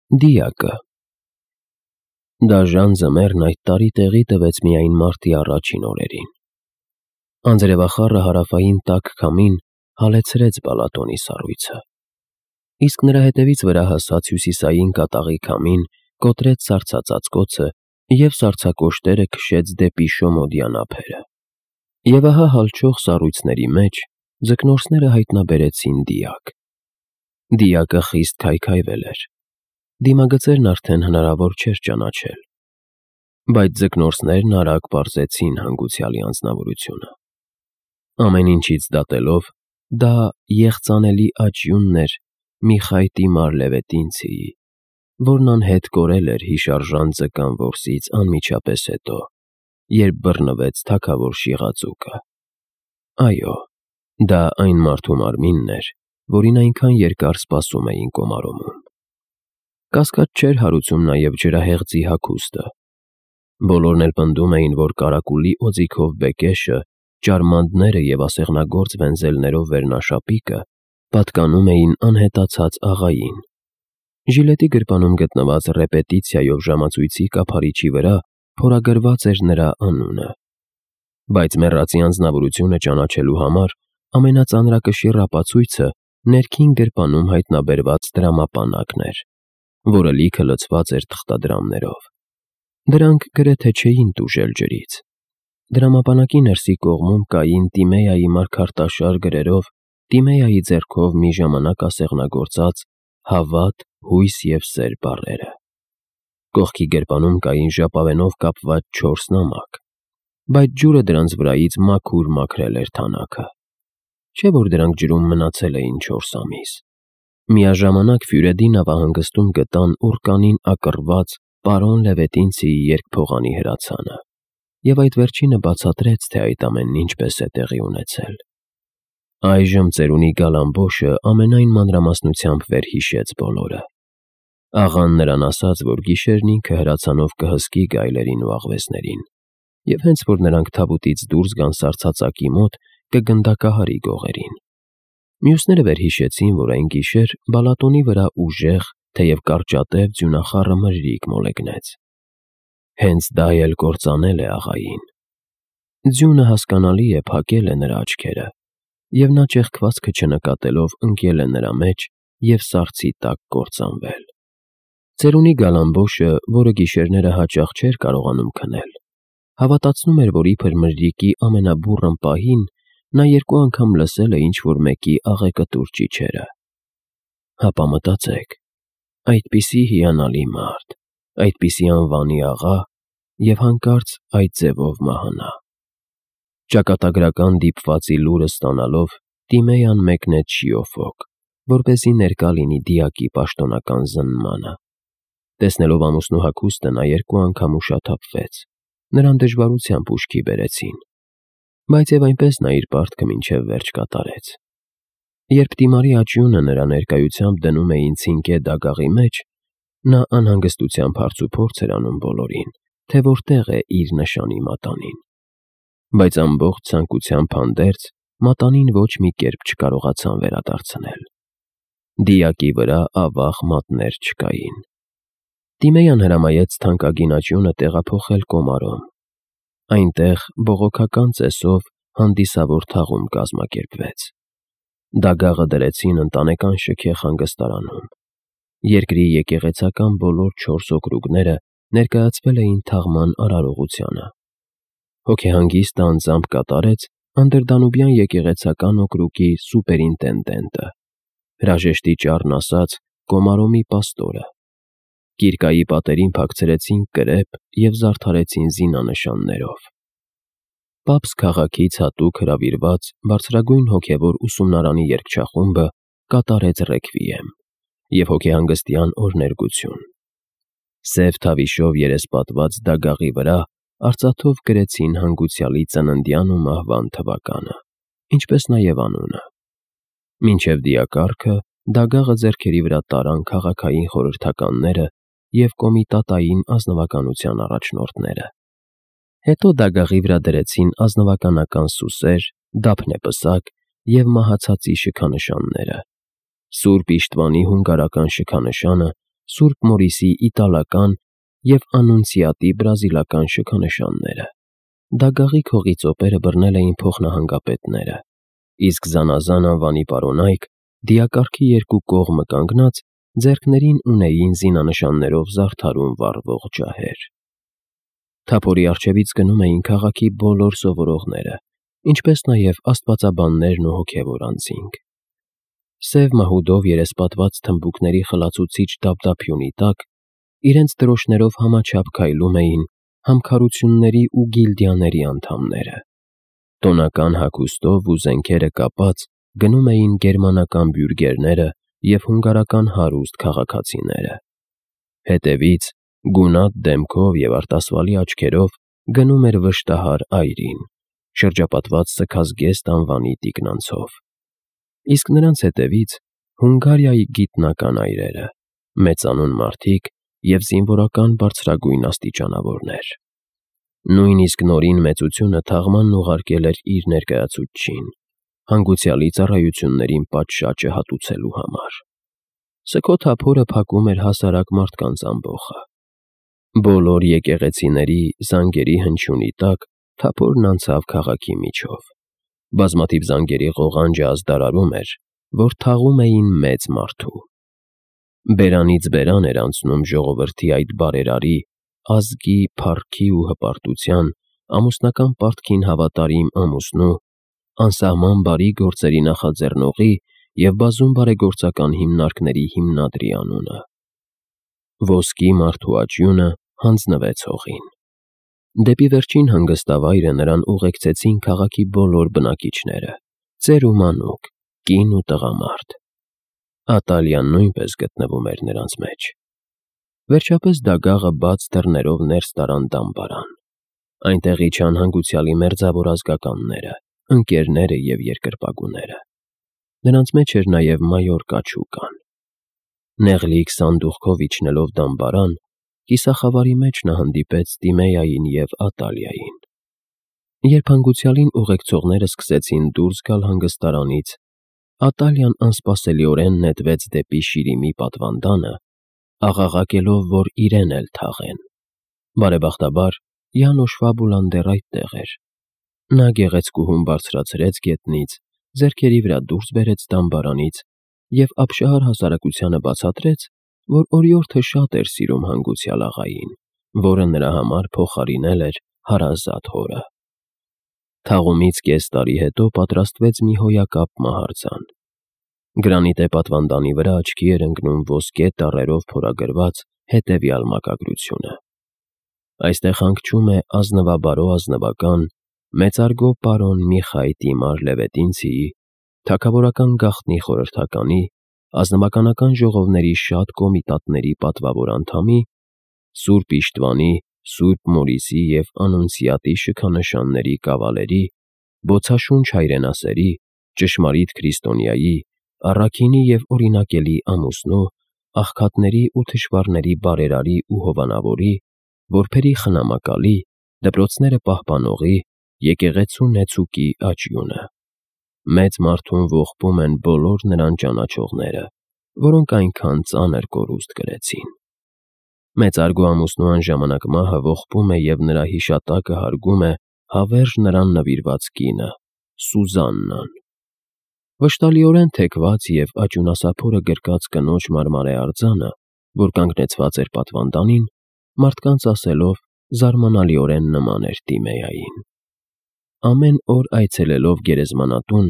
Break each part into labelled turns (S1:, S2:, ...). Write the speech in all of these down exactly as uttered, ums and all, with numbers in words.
S1: Դիակը Դաժան ձմեռն այդ տարի տեղի տվեց միայն մարտի առաջին օրերին։ Անձրևախառը հարավային տաք քամին հալեցրեց Բալատոնի սառույցը, իսկ նրա հետևից վրա հասած հյուսիսային կատաղի քամին կոտրեց սառցածածկոցը և սառցակոշտերը քշեց դեպի շոմոդյան ափերը։ Եվ ահա հալչող սառույցների մեջ ձկնորսները հայտնաբերեցին դիակ։ Դիակը խիստ քայքայվել էր, դիմագծերն արդեն հնարավոր չէր ճանաչել, բայց ձկնորսներն արագ պարզեցին հանգուցյալի անձնավորությունը։ Ամեն ինչից դատելով, դա եղծանելի աճյունն էր Միխայտի Մարլևետինցիի, որն անհետ կորել էր հիշարժան ձկան որսից անմիջապես հետո, երբ բռնվեց թագավոր Շիղաձուկը։ Այո, դա այն մարդու մարմինն էր, որին այնքան երկար սպասում էին Կոմարովում։ Կասկած չէր հարուցում նաև ջրահեղձի հագուստը։ Բոլորն էլ պնդում էին, որ կարակուլի օձիքով բեկեշը, ճարմանդները և ասեղնագործ վենզելներով վերնաշապիկը պատկանում էին անհետացած աղային։ Ժիլետի գրպանում գտնված ռեպետիցիայով ժամացույցի կափարիչի վրա փորագրված էր նրա անունը, բայց մեռածի անձնավորությունը ճանաչելու համար ամենածանրակշիռ ապացույցը ներքին գրպանում հայտնաբերված դրամապանակն էր, որը լիքը լցված էր թղթադրամներով։ Դրանք գրեթե չէին տուժել ջրից։ Դրամապանակի ներսի կողմում կային Տիմեայի մարգարտաշար գրերով Տիմեայի ձեռքով մի ժամանակ ասեղնագործած «Հավատ, հույս և սեր» բառերը։ Կողքի գրպանում կային ժապավենով կապված չորս նամակ, բայց ջուրը դրանց վրայից մաքուր մաքրել էր թանաքը։ Չէ՞ որ դրանք ջրում մնացել էին չորս ամիս։ Միաժամանակ Ֆյուրեդի նավահանգստում գտան ուռկանին ակռված պարոն Լևետինցիի երկփողանի հրացանը, և այդ վերջինը բացատրեց, թե այդ ամենն ինչպես է տեղի ունեցել։ Այժմ ծերունի Գալամբոշը ամենայն մանրամասնությամբ վերհիշեց բոլորը։ Աղան նրան ասաց, որ գիշերն ինքը հրացանով կհսկի գայլերին ու աղվեսներին, և հենց որ նրանք թավուտից դուրս գան սառցածակի մոտ, կգնդակահարի գողերին։ Մյուսները վերհիշեցին, որ այն գիշեր Բալատոնի վրա ուժեղ, թեև կարճատև ձյունախառը մրրիկ մոլեգնեց։ Հենց դա էլ կործանել է աղային։ Ձյունը, հասկանալի է, փակել է նրա աչքերը, և նա ճեղքվածքը չնկատելով ընկել է նրա մեջ և սառցի տակ կործանվել։ Ծերունի Գալամբոշը, որը գիշերները հաճախ չէր կարողանում քնել, հավատացնում էր, որ իբր մրրիկի ամենաբուռն պահին նա երկու անգամ լսել է ինչ-որ մեկի աղեկտուր ճիչերը։ Հապա մտածեք, այդպիսի հիանալի մարդ, այդպիսի անվանի աղա և հանկարծ այդ ձևով մահանա։ Ճակատագրական դիպվածի լուրը ստանալով, Տիմեյան մեկնեց Շիոֆոկ, որպեսզի ներկա լինի դիակի պաշտոնական զննմանը։ Տեսնելով ամուսնու հագուստը, նա երկու անգամ ուշաթափվեց, նրան դժվարությամբ ուշքի բերեցին, բայց և այնպես նա իր պարտքը մինչև վերջ կատարեց։ Երբ Տիմարի աճյունը նրա ներկայությամբ դնում էին ցինկե դագաղի մեջ, նա անհանգստությամբ հարցուփորձ էր անում բոլորին, թե որտեղ է իր նշանի մատանին։ Բայց ամբողջ ցանկությամբ հանդերձ, մատանին ոչ մի կերպ չկարողացան վերադարձնել։ Դիակի վրա ավաղ մատներ չկային։ Տիմեյան հրամայեց թանկագին աճյունը տեղափոխել Կոմարոմ։ Այնտեղ բողոքական ծեսով հանդիսավոր թաղում կազմակերպվեց։ Դագաղը դրեցին ընտանեկան շքեղ հանգստարանում։ Երկրի եկեղեցական բոլոր չորս օկրուգները ներկայացվել էին թաղման արարողությանը։ Հոգեհանգիստը անձամբ կատարեց Անդրդանուբյան եկեղեցական օկրուգի սուպերինտենդենտը, հրաժեշտի ճառն ասած Կոմարոմի պաստորը։ Կիրկայի պատերին փակցրեցին կրեպ և զարդարեցին զինանշաններով։ Պապս քաղաքից հատուկ հրավիրված բարձրագույն հոգևոր ուսումնարանի երգչախումբը կատարեց ռեքվիեմ և հոգեհանգստյան օրհներգություն։ Սև թավիշով երեսպատված դագաղի վրա արծաթով գրեցին հանգուցյալի ծննդյան ու մահվան թվականը, ինչպես նաև անունը։ Մինչև դիակառքը դագաղը ձեռքերի վրա տարան քաղաքային խորհրդականները և կոմիտատային ազնվականության առաջնորդները։ Հետո դագաղի վրա դրեցին ազնվականական սուսեր, դափնեպսակ և մահացածի շքանշանները։ Սուրբ Իշտվանի հունգարական շքանշանը Սուրբ Մորիսի իտալական և Անունցիատի բրազիլական շքանշանները։ Դագաղի քողի ծոպերը բռնել էին փոխնահանգապետները, իսկ զանազան անվանի պարոնայք, դիակառքի երկու կողմը կանգնած, ձեռքներին ունեին զինանշաններով զարդարուն վառվող ջահեր։ Թափորի առջևից գնում էին քաղաքի բոլոր սովորողները, ինչպես նաև աստվածաբաններն ու հոգևոր անձինք։ Սև մահուդով երեսպատված թմբուկների խլացուցիչ դափդափյունի տակ իրենց դրոշներով համաչափ քայլում էին համքարությունների ու գիլդիաների անդամները։ Տոնական հագուստով ու զենքերը կապած գնում էին գերմանական բյուրգերները և հունգարական հարուստ քաղաքացիները։ Հետևից, գունատ դեմքով և արտասվալի աչքերով գնում էր վշտահար այրին, շրջապատված սգազգեստ անվանի տիկնանցով։ Իսկ նրանց հետևից Հունգարիայի գիտնական այրերը, մեծանուն մարդիկ և զինվորական բարձրագույն աստիճանավորներ։ Նույնիսկ Նորին մեծությունը թաղմանն ուղարկել էր իր ներկայացուցչին՝ հանգուցյալի ծառայություններին պատշաճը հատուցելու համար։ Սգո թափորը փակում էր հասարակ մարդկանց ամբոխը։ Բոլոր եկեղեցիների զանգերի հնչյունի տակ թափորն անցավ քաղաքի միջով։ Բազմաթիվ զանգերի ղողանջը ազդարարում էր, որ թաղում էին մեծ մարդու։ Բերանից բերան էր անցնում ժողովրդի այդ բարերարի, ազգի, փառքի ու հպարտության, ամուսնական պարտքին հավատարիմ ամուսնու, անսահման բարի գործերի նախաձեռնողի և բազում բարեգործական հիմնարկների հիմնադրի անունը։ Ոսկի մարդու աճյունը հանձնվեց հողին։ Դեպի վերջին հանգստավայրը նրան ուղեկցեցին քաղաքի բոլոր բնակիչները՝ ծեր ու մանուկ, կին ու տղամարդ։ Ատալիան նույնպես գտնվում էր նրանց մեջ։ Վերջապես Դագաղը բաց դռներով ներս տարան դամբարան։ Այնտեղ իջան հանգուցյալի մերձավոր ազգականները, ընկերները և երկրպագուները։ Նրանց մեջ էր նաև մայոր Կաչուկան։ Նեղլիկ սանդուղքով իջնելով դամբարան, կիսախավարի մեջ նա հանդիպեց Տիմեյային և Ատալիային։ Երբ հանգուցյալին ուղեկցողները սկսեցին դուրս գալ հանգստարանից, Ատալիան անսպասելիորեն նետվեց դեպի շիրիմի պատվանդանը, աղաղակելով, որ իրեն էլ թաղեն։ Բարեբախտաբար, Յանոշ Ֆաբուլան դեռ այդտեղ էր։ Նա գեղեցկուհուն բարձրացրեց գետնից, ձեռքերի վրա դուրս բերեց դամբարանից և ապշահար հասարակությանը բացատրեց, որ օրիորդը շատ էր սիրում հանգուցյալ աղային, որը նրա համար փոխարինել էր հարազատ հորը։ Թաղումից կես տարի հետո պատրաստվեց մի հոյակապ մահարձան։ Գրանիտե պատվանդանի վրա աչքի էր ընկնում ոսկե տառերով փորագրված հետևյալ մակագրությունը. «Այստեղ հանգչում է ազնվաբարո ազնվական, մեծարգո պարոն Միխայ Տիմար Լևետինցիի, թագավորական գաղտնի խորհրդականի, ազնվականական ժողովների շատ կոմիտատների պատվավոր անդամի, Սուրբ Իշտվանի, Սուրբ Մորիսի և Անունցիատի շքանշանների կավալերի, բոցաշունչ հայրենասերի, ճշմարիտ քրիստոնյայի, առաքինի և օրինակելի ամուսնու, աղքատների ու թշվառների բարերարի ու հովանավորի, որբերի խնամակալի, դպրոցները պահպանողի, եկեղեցու նեցուկի աճյունը։ Մեծ մարդուն ողբում են բոլոր նրան ճանաչողները, որոնք այնքան ծանր կորուստ կրեցին։ Մեծարգո ամուսնու անժամանակ մահը ողբում է և նրա հիշատակը հարգում է հավերժ նրան նվիրված կինը՝ Սուզաննան։ Վշտալիորեն թեքված և աճյունասափորը գրկած կնոջ մարմարե արձանը, որ կանգնեցված էր պատվանդանին, մարդկանց ասելով, զարմանալիորեն նման էր Տիմեյային։ Ամեն օր այցելելով գերեզմանատուն,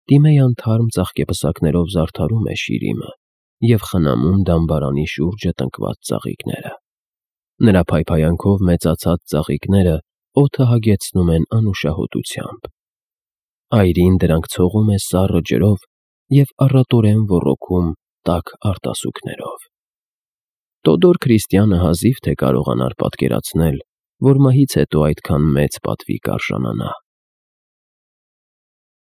S1: Տիմեյան թարմ ծաղկեպսակներով զարդարում է շիրիմը և խնամում դամբարանի շուրջը տնկված ծաղիկները։ Նրա փայփայանքով մեծացած ծաղիկները օդը հագեցնում են անուշահոտությամբ։ Այրին դրանք ցողում է սառը ջրով և առատորեն ոռոգում տաք արտասուքներով։ Տոդոր քրիստյանը հազիվ թե կարողանար պատկերացնել, որ մահից հետո այդքան մեծ պատվի կարժանանա։